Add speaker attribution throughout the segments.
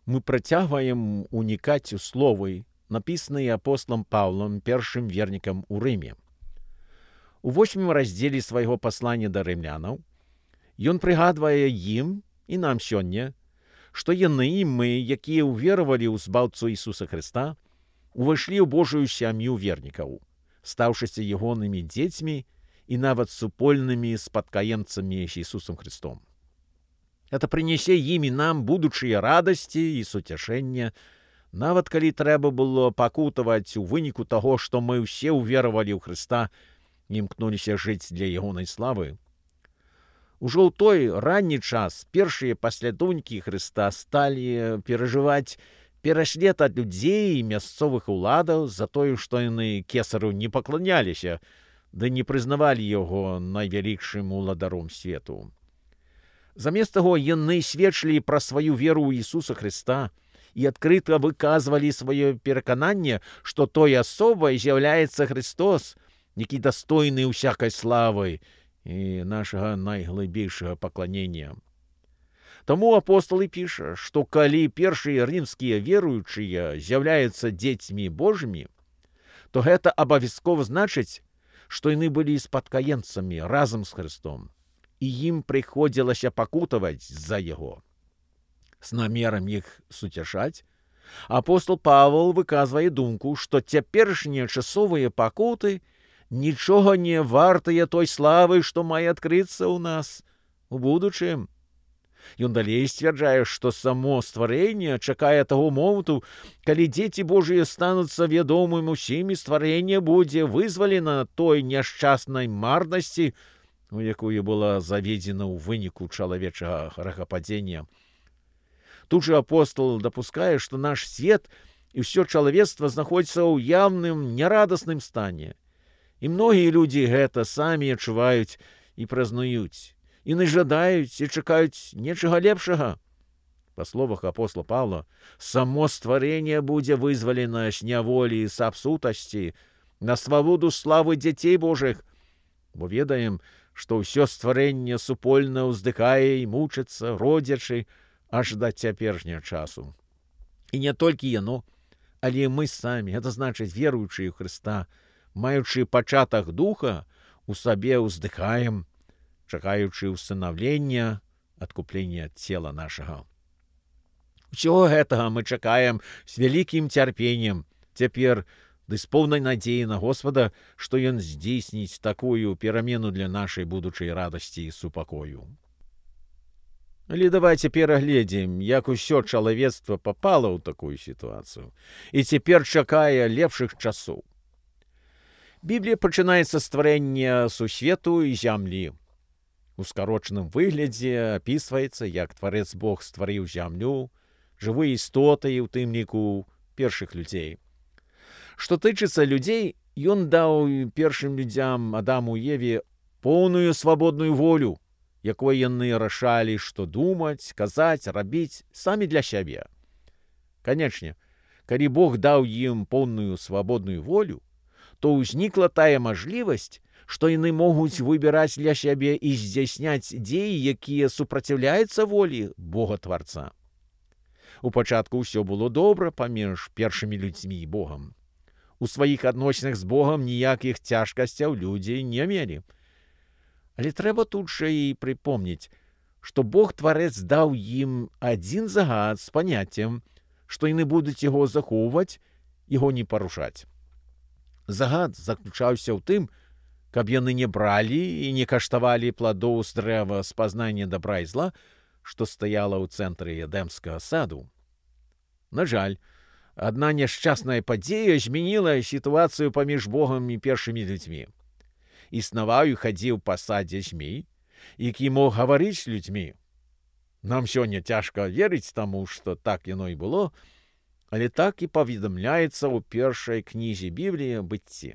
Speaker 1: мы працягваем унікаць у словы, напісаныя апосталам Паўлам, першым вернікам у Рыме. У 8 раздзеле свайго паслання да рымлянаў ён прыгадвае ім і нам сёння, што яны і мы, якія ўверавалі ў збаўцу Ісуса Хрыста, увайшлі ў Божую сям'ю вернікаў, стаўшыся ягонымі дзецьмі і нават супольнымі спадкаемцамі з Ісусам Христом. Это прынясе ім і нам будучыя радасці і суцяшэння, нават калі трэба было пакутаваць у выніку таго, што мы ўсе ўверавалі ў Хрыста і імкнуліся жыць для ягонай славы. Ужо ў той ранні час першыя паслядоўнікі Хрыста сталі перажываць пераслед ад людзей і мясцовых уладаў за тое, што яны кесару не пакланяліся, ды не прызнавалі яго найвялікшым уладаром свету. Замест таго яны сведчылі пра сваю веру ў Ісуса Хрыста і адкрыта выказвалі сваё перакананне, што той асобай з'яўляецца Христос, які дастойны ўсякай славы і нашага найглыбейшага пакланення. Таму апостал і піша, што калі першыя рымскія веруючыя з'яўляюцца дзецьмі Божымі, то гэта абавязкова значыць, што яны былі спадкаемцамі разам з Христом, і ім прыходзілася пакутаваць за яго. З намерам іх суцяшаць, апостал Павел выказвае думку, што цяперашнія часовыя пакуты нічога не вартыя той славы, што мае адкрыцца ў нас у будучым. Ён далей сцвярджае, што само стварэнне чакае таго моманту, калі дзеці Божыя стануцца вядомым усімі, стварэнне будзе вызвалена той няшчаснай марнасці, у якую была заведзена ў выніку чалавечага грэхападзення. Тут жа апостол дапускае, што наш свет і ўсё чалавецтва знаходзіцца ў яўным нерадасным стане. І многія людзі гэта самі адчуваюць і празнаюць. Яны жадаюць і чакаюць нечага лепшага. Па словах апостола Павла, само стварэнне будзе вызвалена з няволі і сапсутасці на свабоду славы дзяцей Божых, бо ведаем, што ўсё стварэнне супольна ўздыхае і мучыцца, родзячы, аж да цяперашняга часу. І не толькі яно, але мы самі, гэта значыць веруючыя ў Хрыста, маючы пачатак духа, у сабе ўздыхаем, чакаючы ўстанаўлення, адкуплення цела нашага. Усього гэтага мы чакаем з вялікім цярпеннем, цяпер ды з поўнай надзеі на Господа, што ён здзейсніць такую перамену для нашай будучай радасці і супакою. Але давайте перагледзім, як усё чалавецтва папала ў такую сітуацыю і цяпер чакае лепшых часоў. Біблія пачынаецца з стварэння сусвету і зямлі. У скарочаным выглядзе апісваецца, як Тварэц Бог стварыў зямлю, жывыя істоты і ў тым ліку першых людзей. Што тычыцца людзей, ён даў першым людзям Адаму і Еве поўную свабодную волю, якой яны рашалі, што думаць, казаць, рабіць самі для сябе. Канечне, калі Бог даў ім поўную свабодную волю, то ўзнікла тая мажлівасць, што яны могуць выбіраць для сябе і здзяйсняць дзеі, якія супраціўляюцца волі Бога-тварца. У пачатку ўсё было добра паміж першымі людзьмі і Богам. У сваіх адносінах з Богам ніякіх цяжкасцяў людзі не мелі. Але трэба тут жа і прыпомніць, што Бог-тварэц даў ім адзін загад з паняццем, што яны будуць яго захоўваць, яго не парушаць. Загад заключаўся ў тым, каб яны не бралі і не каштавалі пладоў з дрэва спазнання дабра і зла, што стаяла ў цэнтры Эдэмскага саду. На жаль, адна няшчасная падзея змяніла сітуацыю паміж Богам і першымі людзьмі. Існаваў і хадзіў па садзе змей, які мог гаварыць з людзьмі. Нам сёння цяжка верыць таму, што так яно і было, але так і паведамляецца ў першай кнізе Бібліі «Быцці».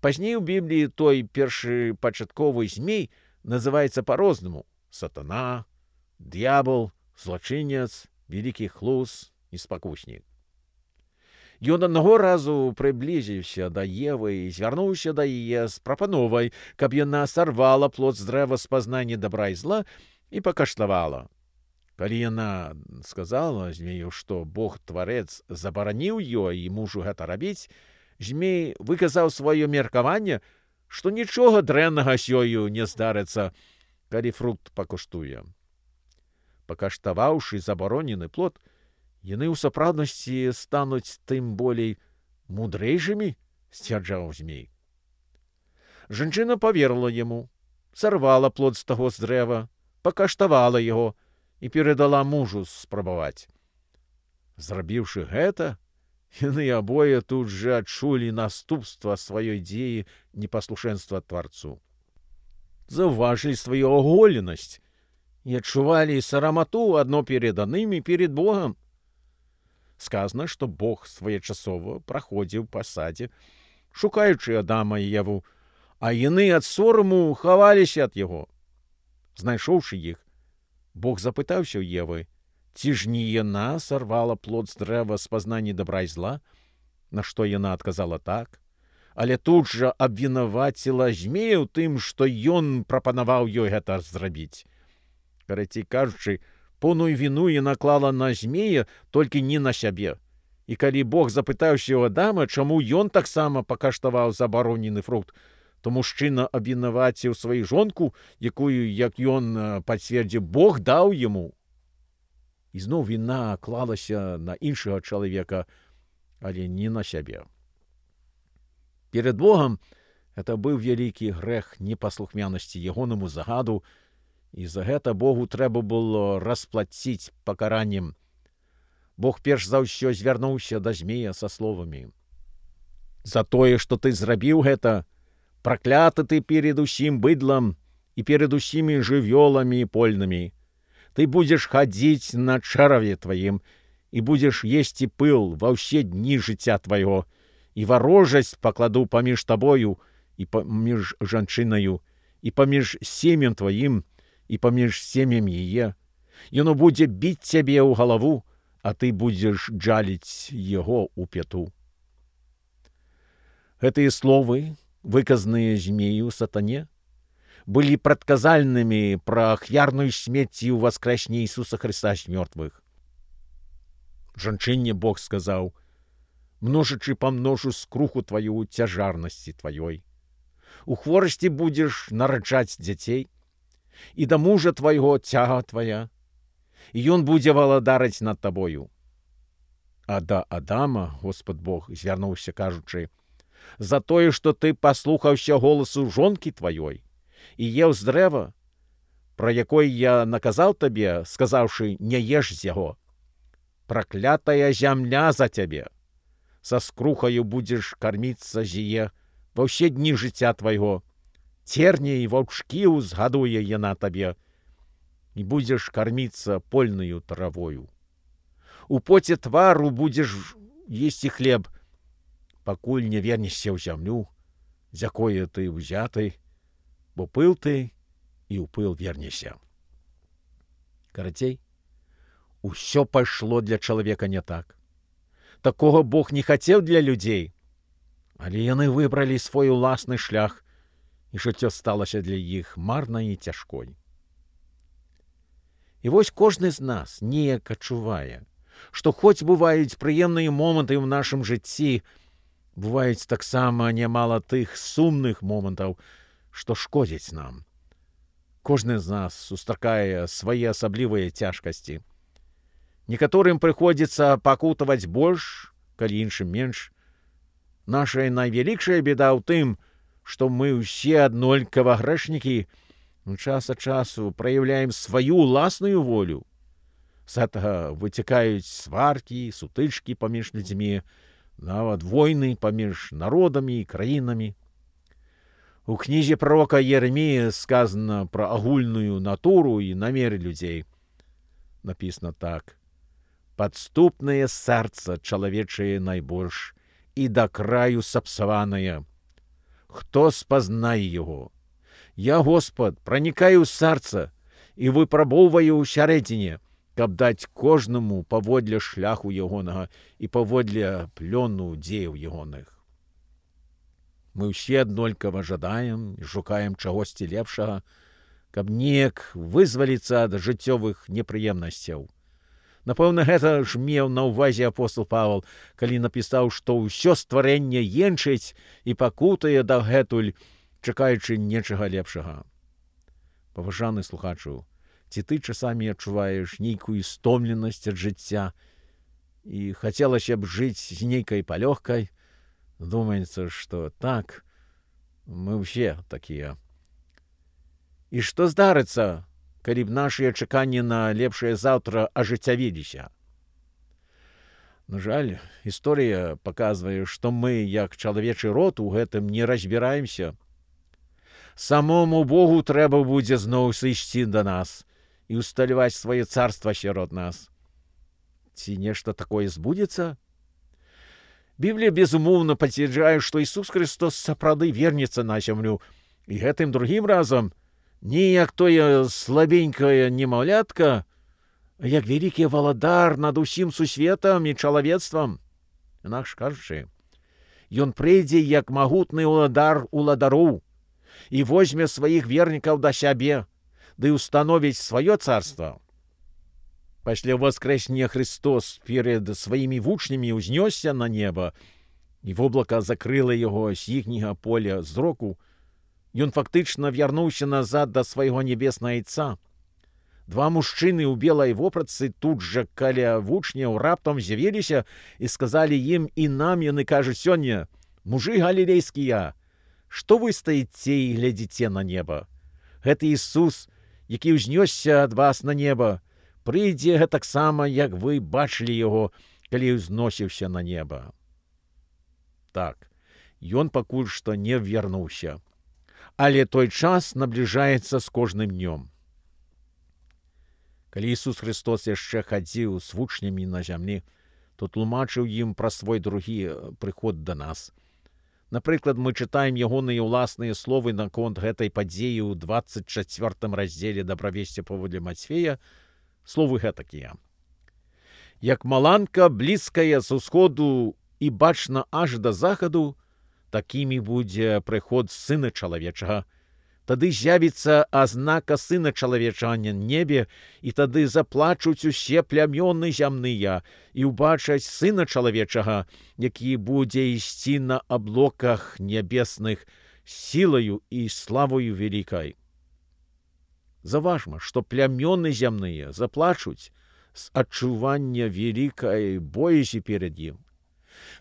Speaker 1: Пазней у Бібліі той першы пачатковы змей называецца па-рознаму – сатана, д'ябал, злачынец, вялікі хлус і спакуснік. Ён аднаго разу прыблізіўся да Евы і звярнуўся да яе з прапановай, каб яна сарвала плод з дрэва спазнання дабра і зла і пакаштавала. Калі яна сказала змею, што Бог-тварэц забараніў ёй і мужу гэта рабіць, змей выказаў сваё меркаванне, што нічога дрэннага з ёю не здарыцца, калі фрукт пакуштуе. Пакаштаваўшы забаронены плод, яны ў сапраўднасці стануць тым болей мудрэйшымі, сцвярджаў змей. Жанчына паверыла яму, сарвала плод з таго з дрэва, пакаштавала яго і перадала мужу спрабаваць. Зрабіўшы гэта, яны абое тут жа адчулі наступства сваёй дзеі непаслушэнства Тварцу. Заўважылі сваю аголенасць і адчувалі сарамату адно перед адным і перед Богам. Сказана, што Бог своечасова праходзіў па садзе, шукаючы Адама і Еву, а яны ад сораму хаваліся ад яго. Знайшоўшы іх, Бог запытаўся ў Евы, ці ж не яна сарвала плод з дрэва з пазнання добра і зла, на што яна адказала так, але тут жа абвінаваціла змея ў тым, што ён прапанаваў ёй гэта зрабіць. Карацей кажучы, поўную віну яна клала на змея, толькі не на сябе. І калі Бог запытаўся ў Адама, чаму ён таксама пакаштаваў забаронены фрукт, то мужчына абвінаваціў сваю жонку, якую, як ён пацвердзіў, Бог даў яму. І зноў віна клалася на іншага чалавека, але не на сябе. Перед Богам гэта быў вялікі грэх непаслухмянасці ягонаму загаду, і за гэта Богу трэба было расплаціць пакараннем. Бог перш за ўсё звярнуўся да змея са словамі: «За тое, што ты зрабіў гэта, пракляты ты перед усім быдлам і перед усімі жывёламі польнымі. Ты будзеш хадзіць на чараве тваім і будзеш есці пыл ва ўсе дні жыцця твайго, і варожасць пакладу паміж табою і паміж жанчынаю, і паміж сем'ем тваім, і паміж сем'ем яе. Яно будзе біць цябе ў галаву, а ты будзеш джаліць яго ў пяту». Гэтыя словы, выказаныя змею сатане, былі прадказальнымі пра ахвярную смерць і ўваскрэсне Ісуса Хрыста з мёртвых. Жанчыне Бог сказаў: «Множачы памножу скруху тваю цяжарнасці тваёй. У хворасці будзеш нараджаць дзяцей, і да мужа твайго цяга твая, і ён будзе валадарыць над табою». А да Адама Господ Бог звярнуўся, кажучы: «За тое, што ты паслухаўся голасу жонкі тваёй і еў з дрэва, пра якое я наказаў табе, сказаўшы, не еш з яго. Праклятая зямля за цябе. Са скрухаю будзеш карміцца з яе ва ўсе дні жыцця твайго. Церні і ваўчкі узгадуе яна табе, і будзеш карміцца польнаю травою. У поце твару будзеш есці хлеб, пакуль не вернешся ў зямлю, з якое ты ўзяты, бо пыл ты і ў пыл вернешся». Карацей, усё пайшло для чалавека не так. Такога Бог не хацеў для людзей, але яны выбралі свой уласны шлях, і жыццё сталася для іх марнай і цяжкой. І вось кожны з нас неяк адчувае, што хоць бываюць прыемныя моманты ў нашым жыцці, бываюць таксама нямала тых сумных момантаў, што шкодзяць нам. Кожны з нас сустракае свае асаблівыя цяжкасці. Некаторым прыходзіцца пакутаваць больш, калі іншым менш. Наша найвялікшая беда ў тым, што мы ўсе аднолькава грэшнікі, час ад часу праяўляем сваю ўласную волю. З гэтага выцякаюць сваркі, сутычкі паміж людзьмі, нават войны паміж народамі і краінамі. У кнізе прарока Єремія сказана пра агульную натуру і намеры людзей. Напісана так: «Падступнае сэрца чалавечае найбольш, і да краю сапсаванае. Хто спазнае яго? Я, Господ, пранікаю ў сэрца і выпрабоўваю ўсярэдзіне, каб даць кожнаму паводле шляху ягонага і паводле плёну дзеяў ягоных». Мы ўсе аднолькава жадаем і шукаем чагосьці лепшага, каб неяк вызваліцца ад жыццёвых непрыемнасцяў. Напэўна, гэта ж меў на ўвазе апостол Павел, калі напісаў, што ўсё стварэнне енчыць і пакутае дагэтуль, чакаючы нечага лепшага. Паважаны слухачу, ці ты часамі адчуваеш нейкую стомленасць ад жыцця і хацелася б жыць з нейкай палёгкай? Думаецца, што так, мы ўсе такія. І што здарыцца, калі б нашыя чаканні на лепшае заўтра ажыццявіліся? На жаль, гісторыя паказвае, што мы, як чалавечы род, у гэтым не разбіраемся. Самому Богу трэба будзе зноў сысці да нас і ўсталяваць сваё царства сярод нас. Ці нешта такое збудзецца? Біблія, безумоўна, пацвярджае, што Ісус Христос сапраўды вернецца на зямлю, і гэтым другім разам не як тое слабенькае немаўлятка, а як вялікі валадар над усім сусветам і чалавецтвам. Інакш кажучы, ён прыйдзе як магутны уладар уладароў і возьме сваіх вернікаў да сябе, ды ўстановіць сваё царства. Пасля воскрэснення Христос перед сваімі вучнямі ўзнёсся на неба, і воблака закрыла яго з іхняга поля зроку. Ён фактычна вярнуўся назад да свайго небеснага Айца. Два мужчыны ў белай вопратцы тут жа каля вучняў раптам з'явіліся і сказалі ім і нам, яны кажуць сёння: «Мужы галілейскія, што вы стаіце і глядзіце на неба? Гэты Ісус, які ўзнёсся ад вас на неба, прыйдзе гэтаксама, як вы бачылі яго, калі ўзносіўся на неба». Так, ён пакуль што не вярнуўся, але той час набліжаецца з кожным днём. Калі Ісус Христос яшчэ хадзіў з вучнямі на зямлі, то тлумачыў ім пра свой другі прыход да нас. Напрыклад, мы чытаем ягоныя ўласныя словы наконт гэтай падзеі ў 24 раздзеле дабравесці паводле Мацфея. Словы гэтакія: «Як маланка блізкая з усходу і бачна аж да захаду, такімі будзе прыход Сына Чалавечага. Тады з'явіцца азнака Сына Чалавечага на небе, і тады заплачуць усе плямёны зямныя і ўбачаць Сына Чалавечага, які будзе ісці на аблоках нябесных сілаю і славою вялікай». Заважма, што плямёны зямныя заплачуць з адчування вялікай боязі перад ім.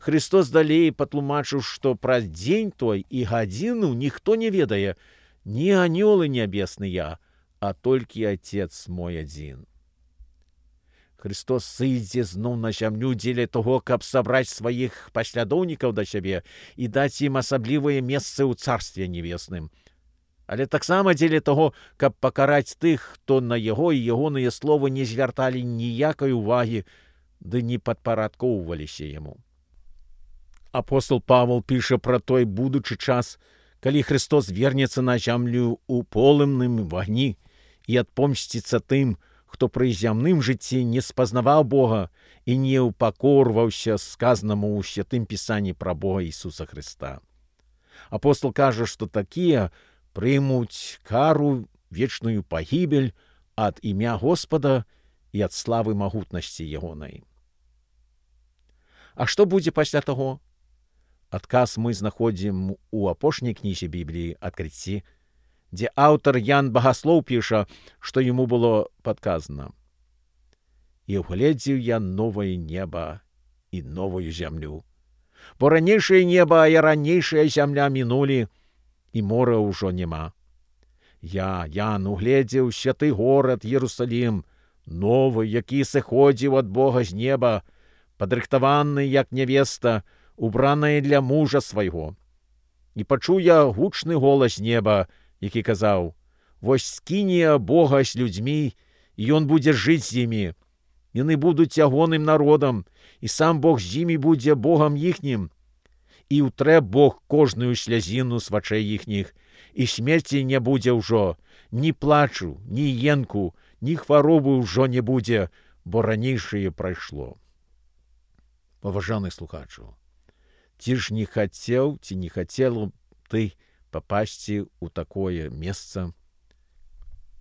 Speaker 1: Христос далей патлумачыў, што пра дзень той і гадзіну ніхто не ведае, ні анёлы нябесныя, а толькі Отец мой адзін. Христос сыдзе зноў на зямлю дзеля таго, каб сабраць сваіх паслядоўнікаў да сябе і даць ім асаблівае месцы ў Царстве Небесным. Але таксама дзеля таго, каб пакараць тых, хто на яго і ягоныя словы не звярталі ніякай увагі, ды не падпарадкоўваліся яму. Апостол Павел піша пра той будучы час, калі Христос вернецца на зямлю ў полымным вагні і адпомсціцца тым, хто пры зямным жыцці не спазнаваў Бога і не ўпакорваўся сказанаму ў Святым Пісанні пра Бога Ісуса Христа. Апостол кажа, што такія прымуць кару, вечную пагібель ад імя Господа і ад славы магутнасці ягонай. А што будзе пасля таго? Адказ мы знаходзім у апошняй кнізе Бібліі «Адкрыцці», дзе аўтар Ян Багаслоў піша, што яму было падказана: «І ўгледзеў я новае неба і новую зямлю, бо ранейшае неба і ранейшая зямля мінулі, і мора ўжо няма. Ян, угледзеў святы горад Єрусалім, новы, які сыходзіў ад Бога з неба, падрыхтаваны, як нявеста, убраная для мужа свайго. І пачуў я гучны голас неба, які казаў: «Вось скіне Бога з людзьмі, і ён будзе жыць з імі. Яны будуць ягоным народам, і сам Бог з імі будзе Богам іхнім. І ўтрэ Бог кожную слязіну з вачэй іхніх, і смерці не будзе ўжо, ні плачу, ні енку, ні хваробы ўжо не будзе, бо ранейшае прайшло». Паважаны слухачу, ці ж не хацеў, ці не хацела ты папасці ў такое месца,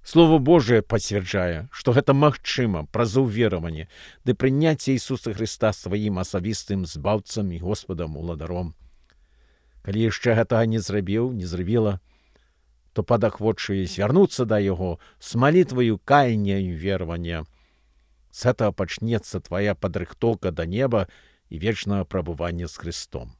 Speaker 1: Слово Божие пацвярджае, што гэта магчыма праз увераванне ды прыняцце Ісуса Хрыста сваім асабістым збаўцам і Господам уладаром. Калі яшчэ гэтага не зрабіла, то падахвочвае звярнуцца да Яго з малітваю каяння і веравання. З гэтага пачнецца твая падрыхтоўка да неба і вечнага прабывання з Христом.